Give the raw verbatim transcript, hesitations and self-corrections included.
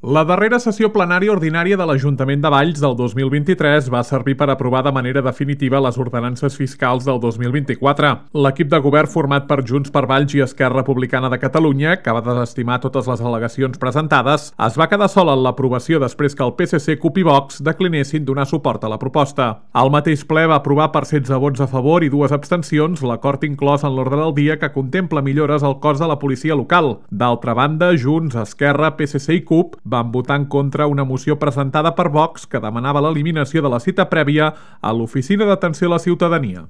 La darrera sessió plenària ordinària de l'Ajuntament de Valls del dos mil vint-i-tres va servir per aprovar de manera definitiva les ordenances fiscals del dos mil vint-i-quatre. L'equip de govern format per Junts per Valls i Esquerra Republicana de Catalunya, que va desestimar totes les al·legacions presentades, es va quedar sol en l'aprovació després que el P S C, CUP i Vox declinessin donar suport a la proposta. El mateix ple va aprovar per setze vots a favor i dues abstencions l'acord inclòs en l'ordre del dia que contempla millores al cos de la policia local. D'altra banda, Junts, Esquerra, P S C i CUP van votar en contra una moció presentada per Vox que demanava l'eliminació de la cita prèvia a l'Oficina d'Atenció a la Ciutadania.